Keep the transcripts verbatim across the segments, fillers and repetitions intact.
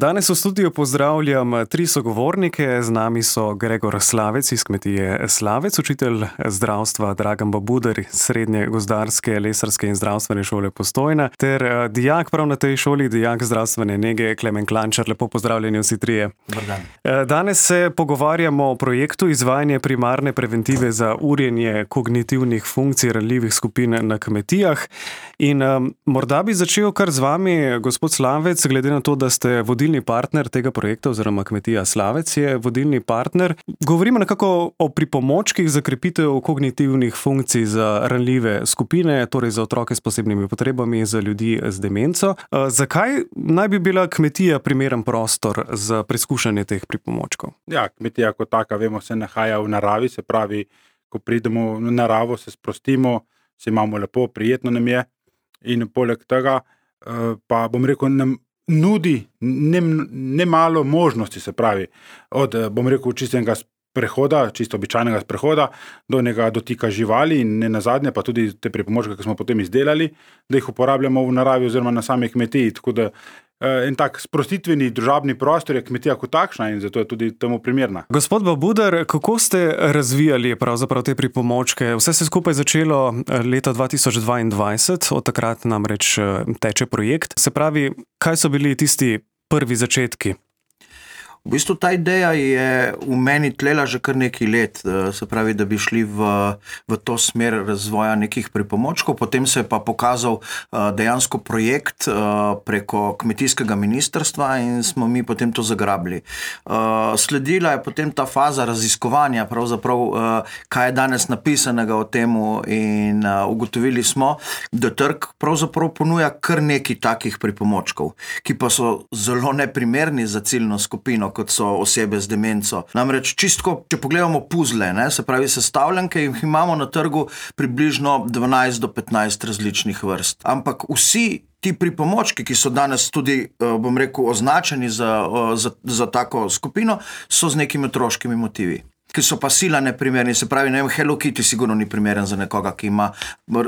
Danes v studiu pozdravljam tri sogovornike. Z nami so Gregor Slavec iz kmetije Slavec, učitelj zdravstva Dragan Babuder iz Srednje gozdarske, lesarske in zdravstvene šole Postojna ter dijak prav na tej šoli, dijak zdravstvene nege Klemen Klančar. Lepo pozdravljeni vsi trije. Dober dan. Danes se pogovarjamo o projektu izvajanje primarne preventive za urjenje kognitivnih funkcij ranljivih skupin na kmetijah. In um, morda bi začel kar z vami, gospod Slavec, glede na to, da ste vodilni partner tega projekta oziroma kmetija Slavec je vodilni partner. Govorimo nekako o pripomočkih za krepitev kognitivnih funkcij za ranljive skupine, torej za otroke s posebnimi potrebami, za ljudi z demenco. Zakaj naj bi bila kmetija primeren prostor za preizkušanje teh pripomočkov? Ja, kmetija kot taka, vemo, se nahaja v naravi, se pravi, ko pridemo v naravo, se sprostimo, se imamo lepo, prijetno nam je in poleg tega pa bom rekel, nam nudi ne, ne malo možnosti, se pravi, od, bom rekel, čistega prehoda, čisto običajnega prehoda, do njega dotika živali in ne nazadnje, pa tudi te pripomočke, ki smo potem izdelali, da jih uporabljamo v naravi oziroma na sami kmetiji, tako da en tak sprostitveni družabni prostor je kmetija kot takšna in zato je tudi temu primerna. Gospod Babuder, kako ste razvijali pravzaprav te pripomočke? Vse se skupaj začelo leta dva tisoč dvaindvajset, od takrat namreč teče projekt. Se pravi, kaj so bili tisti prvi začetki? V bistvu ta ideja je v meni tlela že kar nekaj let, se pravi, da bi šli v, v to smer razvoja nekih pripomočkov. Potem se je pa pokazal dejansko projekt preko kmetijskega ministrstva in smo mi potem to zagrabili. Sledila je potem ta faza raziskovanja, pravzaprav kaj je danes napisanega o temu in ugotovili smo, da trg pravzaprav ponuja kar nekaj takih pripomočkov, ki pa so zelo neprimerni za ciljno skupino, kot so osebe z demenco. Namreč čistko, če pogledamo puzle, ne, se pravi sestavljanke, jih imamo na trgu približno dvanajst do petnajst različnih vrst. Ampak vsi ti pripomočki, ki so danes tudi, bom rekel, označeni za, za, za tako skupino, so z nekimi otroškimi motivi, ki so pa sila neprimerni. Se pravi, ne vem, Hello Kitty sigurno ni primeren za nekoga, ki ima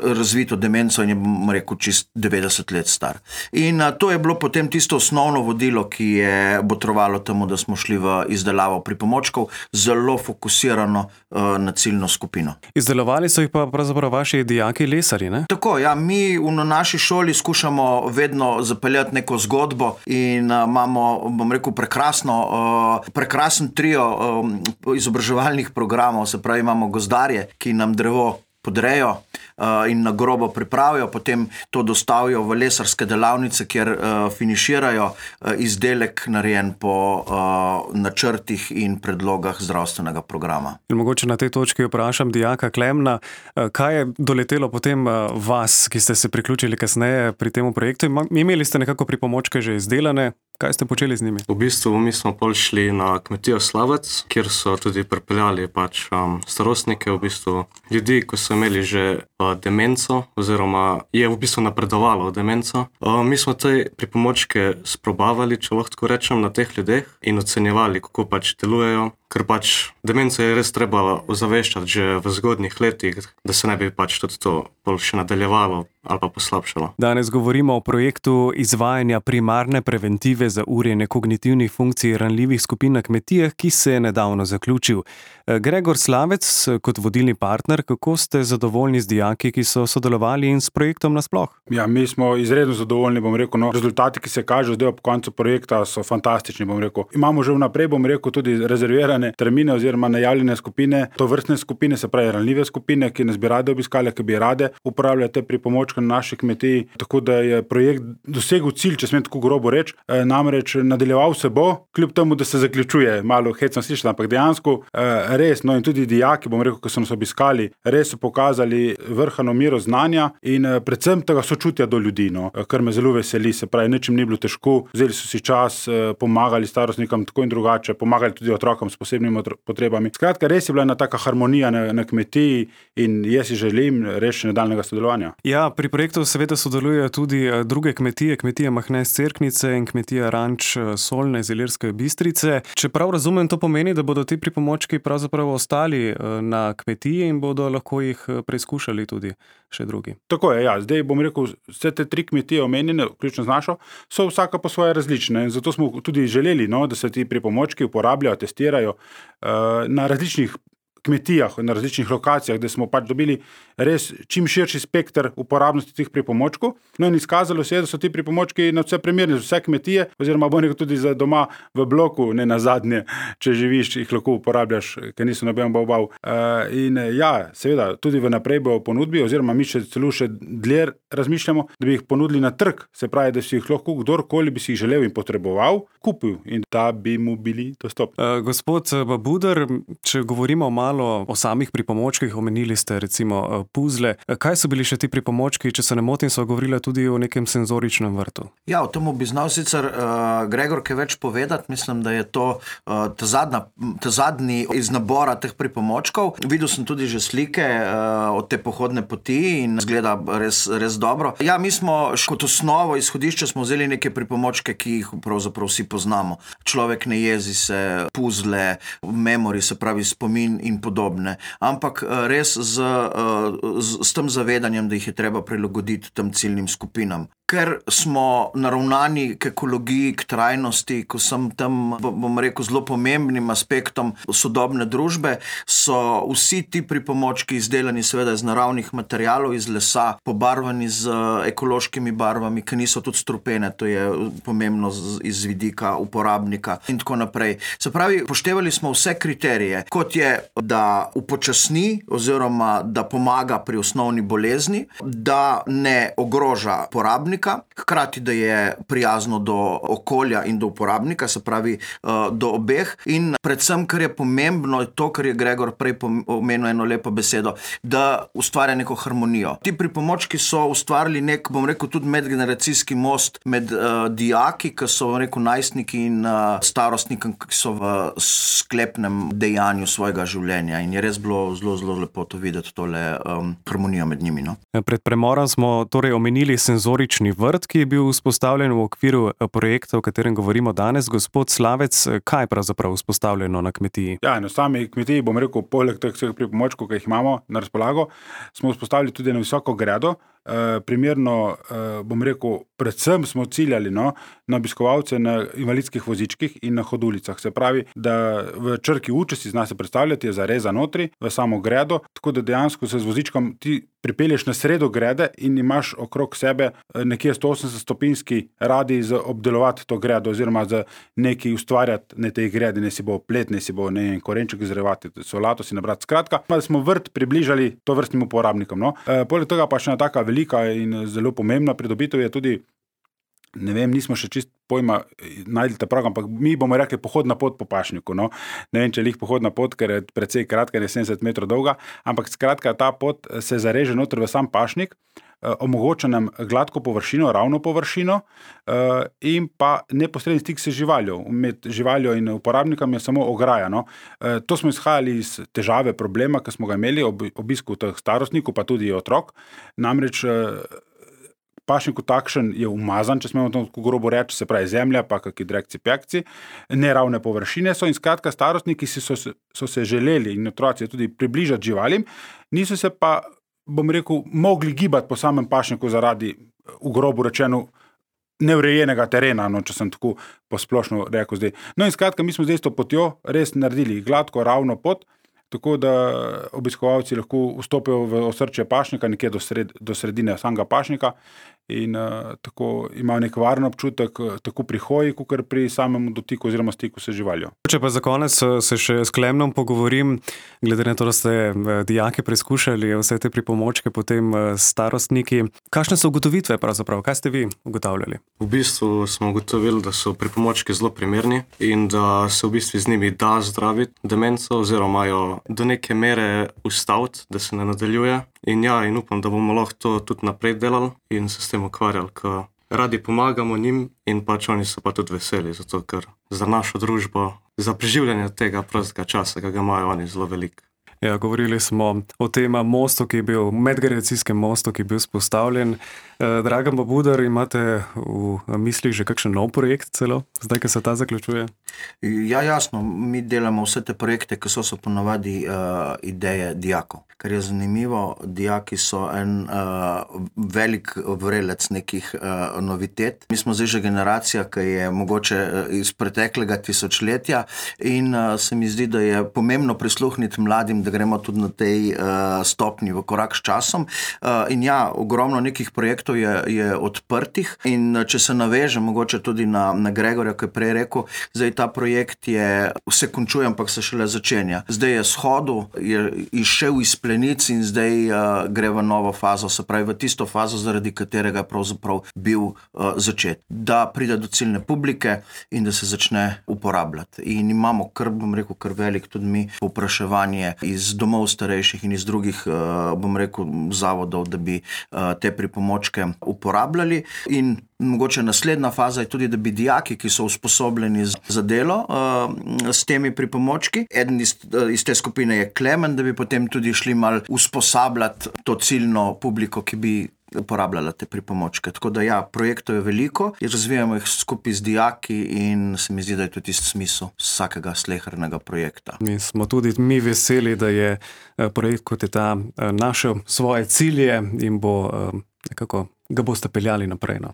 razvito demenco in je, bom rekel, čist devetdeset let star. In a, to je bilo potem tisto osnovno vodilo, ki je botrovalo temu, da smo šli v izdelavo pripomočkov, zelo fokusirano a, na ciljno skupino. Izdelovali so jih pa pravzaprav vaši dijaki lesarji, ne? Tako, ja, mi v naši šoli skušamo vedno zapeljati neko zgodbo in a, imamo, bom rekel, prekrasno, a, prekrasen trio a, izobraževanja programov, se pravi, imamo gozdarje, ki nam drevo podrejo uh, in na grobo pripravijo, potem to dostavijo v lesarske delavnice, kjer uh, finiširajo uh, izdelek narejen po uh, načrtih in predlogah zdravstvenega programa. In mogoče na tej točki vprašam dijaka Klemna, uh, kaj je doletelo potem uh, vas, ki ste se priključili kasneje pri temu projektu? Imeli ste nekako pripomočke že izdelane? Kaj ste počeli z njimi? V bistvu mi smo pol šli na kmetijo Slavec, kjer so tudi pripeljali pač um, starostnike, v bistvu ljudi, ko so imeli že uh, demenco, oziroma je v bistvu napredovalo demenco. Uh, mi smo te pripomočke sprobavali, če lahko tako rečem, na teh ljudeh in ocenjevali, kako pač delujejo, ker pač demenco je res treba ozaveščati že v zgodnjih letih, da se ne bi pač tudi to pol še nadaljevalo ali pa poslabšalo. Danes govorimo o projektu izvajanja primarne preventive za urjenje kognitivnih funkcij ranljivih skupin na kmetijah, ki se je nedavno zaključil. Gregor Slavec, kot vodilni partner, kako ste zadovoljni z dijaki, ki so sodelovali in s projektom nasploh? Ja, mi smo izredno zadovoljni, bom rekel, no, rezultati, ki se kažejo zdaj ob koncu projekta, so fantastični, bom rekel. Imamo že vnaprej, bom rekel, tudi rezervirane termine oziroma najavljene skupine, to vrstne skupine, se pravi ranljive skupine, ki nas bi rade obiskali, ki bi rade uporabljali te pripomočke na naši kmetiji, tako da je projekt dosegel cilj, če smem tako grobo reči, e, namreč nadaljeval se bo, kljub temu, da se zaključuje, malo hecno slišati, ampak dejansko e, res, no in tudi dijaki, bom rekel, ko so nas obiskali, res so pokazali vrhano mero znanja in e, predvsem tega sočutja do ljudi, no, kar me zelo veseli, se pravi, ničem ni bilo težko, vzeli so si čas, e, pomagali starostnikom tako in drugače, pomagali tudi otrokom s posebnimi potrebami. Skratka, res je bila ena taka harmonija na, na kmetiji in jaz si želim res nadaljnjega sodelovanja. Ja, pri projektu seveda sodelujejo tudi druge kmetije, kmetija Mahne iz Cerknice in kmetija Ranč Solne iz Ilirske Bistrice. Če prav razumem, to pomeni, da bodo ti pripomočki pravzaprav ostali na kmetiji in bodo lahko jih preizkušali tudi še drugi. Tako je, ja. Zdaj bom rekel, vse te tri kmetije omenjene, vključno z našo, so vsaka po svoje različne in zato smo tudi želeli, no, da se ti pripomočki uporabljajo, testirajo uh, na različnih kmetijah, na različnih lokacijah, da smo pač dobili res čim širši spekter uporabnosti teh pripomočkov. No in izkazalo se je, da so ti pripomočki na vse primerni za vse kmetije, oziroma bo nekaj tudi za doma v bloku, ne na zadnje, če živiš, jih lahko uporabljaš, ker niso noben bav-bav. Uh, in ja, seveda, tudi v naprej bo ponudbi, oziroma mi še celo še dlje razmišljamo, da bi jih ponudili na trg, se pravi, da si jih lahko kdorkoli bi si jih želel in potreboval, kupil in da bi mu bili dostopni. Uh, gospod Babuder, če govorimo malo o samih pripomočkih, omenili ste recimo puzle. Kaj so bili še ti pripomočki, če se ne motim, so govorili tudi o nekem senzoričnem vrtu? Ja, o tem bi znal sicer uh, Gregor kaj več povedati. Mislim, da je to uh, ta, zadnja, ta zadnji iz nabora teh pripomočkov. Videl sem tudi že slike uh, od te pohodne poti in izgleda res, res dobro. Ja, mi smo kot osnovo, izhodišče smo vzeli neke pripomočke, ki jih pravzaprav vsi poznamo. Človek ne jezi se, puzle, memory, se pravi spomin in podobne, ampak res z, z, z tem zavedanjem, da jih je treba prilagoditi tem ciljnim skupinam. Ker smo naravnani k ekologiji, k trajnosti, ko sem tam, bom rekel, zelo pomembnim aspektom sodobne družbe, so vsi ti pripomočki izdelani seveda iz naravnih materialov, iz lesa, pobarvani z ekološkimi barvami, ki niso tudi strupene, to je pomembno iz vidika uporabnika in tako naprej. Se pravi, poštevali smo vse kriterije, kot je, da upočasni oziroma da pomaga pri osnovni bolezni, da ne ogroža porabnika, hkrati, da je prijazno do okolja in do uporabnika, se pravi do obeh in predvsem, kar je pomembno, to, kar je Gregor prej omenil eno lepo besedo, da ustvarja neko harmonijo. Ti pripomočki so ustvarili nek, bom rekel, tudi medgeneracijski most med uh, dijaki, ki so, bom rekel, najstniki in uh, starostniki, ki so v sklepnem dejanju svojega življenja in je res bilo zelo, zelo lepo to videti, tole um, harmonijo med njimi. No? Pred premorom smo torej omenili senzorični vrt, ki je bil vzpostavljen v okviru projekta, o katerem govorimo danes. Gospod Slavec, kaj je pravzaprav vzpostavljeno na kmetiji? Ja, na sami kmetiji, bom rekel, poleg teh vseh pripomočkov, ki jih imamo na razpolago, smo vzpostavili tudi na visoko gredo. E, primerno, e, bom rekel, predvsem smo ciljali no, na obiskovalce na invalidskih vozičkih in na hodulicah. Se pravi, da v črki U, če si zna se predstavljati, je zareza notri v samo gredo, tako da dejansko se z vozičkom ti pripelješ na sredo grede in imaš okrog sebe nekje sto osemdeset stopinjski radij za obdelovati to gredo oziroma za nekaj ustvarjati na tej gredi, ne si bo plet, ne si bo ne korenček izrevati, solato si nabrati. Skratka, da smo vrt približali to vrstnim uporabnikom. No. E, poleg tega pa še ena taka velika in zelo pomembna pridobitev je tudi, ne vem, nismo še čist pojma najdli ta prav, ampak mi bomo rekli pohodna pot po pašniku. No. Ne vem, če je pohodna pot, ker je precej kratka, je sedemdeset metrov dolga, ampak skratka ta pot se zareže noter v sam pašnik, eh, omogoča nam gladko površino, ravno površino eh, in pa neposredni stik s živaljo. Med živaljo in uporabnikom je samo ograja. No. Eh, to smo izhajali iz težave, problema, ki smo ga imeli ob obisku teh starostnikov, pa tudi otrok. Namreč eh, pašniku takšen je umazan, če smemo to grobo reči, se pravi zemlja, pa kakšni drekci, pekci, neravne površine so in skratka starostniki so, so se želeli in otroci tudi približati živalim, niso se pa, bom rekel, mogli gibati po samem pašniku zaradi, v grobo rečeno, neurejenega terena, no, če sem tako posplošno rekel zdaj. No in skratka, mi smo zdaj s to potjo res naredili gladko, ravno pot, tako da obiskovalci lahko vstopijo v osrčje pašnika, nekje do, sred, do sredine samega pašnika in uh, tako imajo nek varen občutek, tako pri hoji, kot pri samem dotiku oziroma stiku s živaljo. Če pa za konec se še s Klemnom pogovorim, glede na to, da ste dijaki preizkušali vse te pripomočke, potem starostniki. Kakšne so ugotovitve pravzaprav? Kaj ste vi ugotavljali? V bistvu smo ugotovili, da so pripomočki zelo primerni in da se v bistvu z njimi da zdraviti demenco oziroma jo do neke mere ustaviti, da se ne nadaljuje. In ja, in upam, da bomo lahko to tudi naprej delali in se s tem ukvarjali, ker radi pomagamo njim in pač oni so pa tudi veseli, zato ker za našo družbo, za preživljanje tega prostega časa, ki ga imajo oni zelo veliko. Ja, govorili smo o tem mostu, ki je bil, medgeneracijskem mostu, ki je bil spostavljen. Dragan Babudar, imate v mislih že kakšen nov projekt celo, zdaj, ko se ta zaključuje? Ja, jasno, mi delamo vse te projekte, ki so so ponovadi uh, ideje dijakov. Kar je zanimivo, dijaki so en uh, velik vrelec nekih uh, novitet. Mi smo zdaj že generacija, ki je mogoče iz preteklega tisočletja in uh, se mi zdi, da je pomembno prisluhniti mladim, da gremo tudi na tej uh, stopni v korak s časom. Uh, in ja, ogromno nekih projektov je, je odprtih in uh, če se naveže mogoče tudi na, na Gregorja, ki je prej rekel, zdaj ta projekt je, vse končuje, ampak se šele začenja. Zdaj je shodu, je izšel iz plenic in zdaj uh, gre v novo fazo, se pravi v tisto fazo, zaradi katerega je pravzaprav bil uh, začet. Da pride do ciljne publike in da se začne uporabljati. In imamo kar, bom rekel, kar velik tudi mi povpraševanje iz domov starejših in iz drugih, uh, bom rekel, zavodov, da bi uh, te pripomočke uporabljali. In mogoče naslednja faza je tudi, da bi dijaki, ki so usposobljeni za delo uh, s temi pripomočki, eden iz, iz te skupine je Klemen, da bi potem tudi šli mal usposabljati to ciljno publiko, ki bi uporabljala te pripomočke. Tako da ja, projektov je veliko, razvijamo jih skupaj z dijaki in se mi zdi, da je to tisti smisel vsakega slehernega projekta. Mi smo tudi mi veseli, da je projekt kot je ta našel svoje cilje in bo nekako ga boste peljali naprej. No.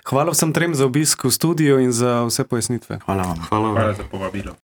Hvala vsem trem za obisk v studiu in za vse pojasnitve. Hvala vam. Hvala vam. Hvala za povabilo.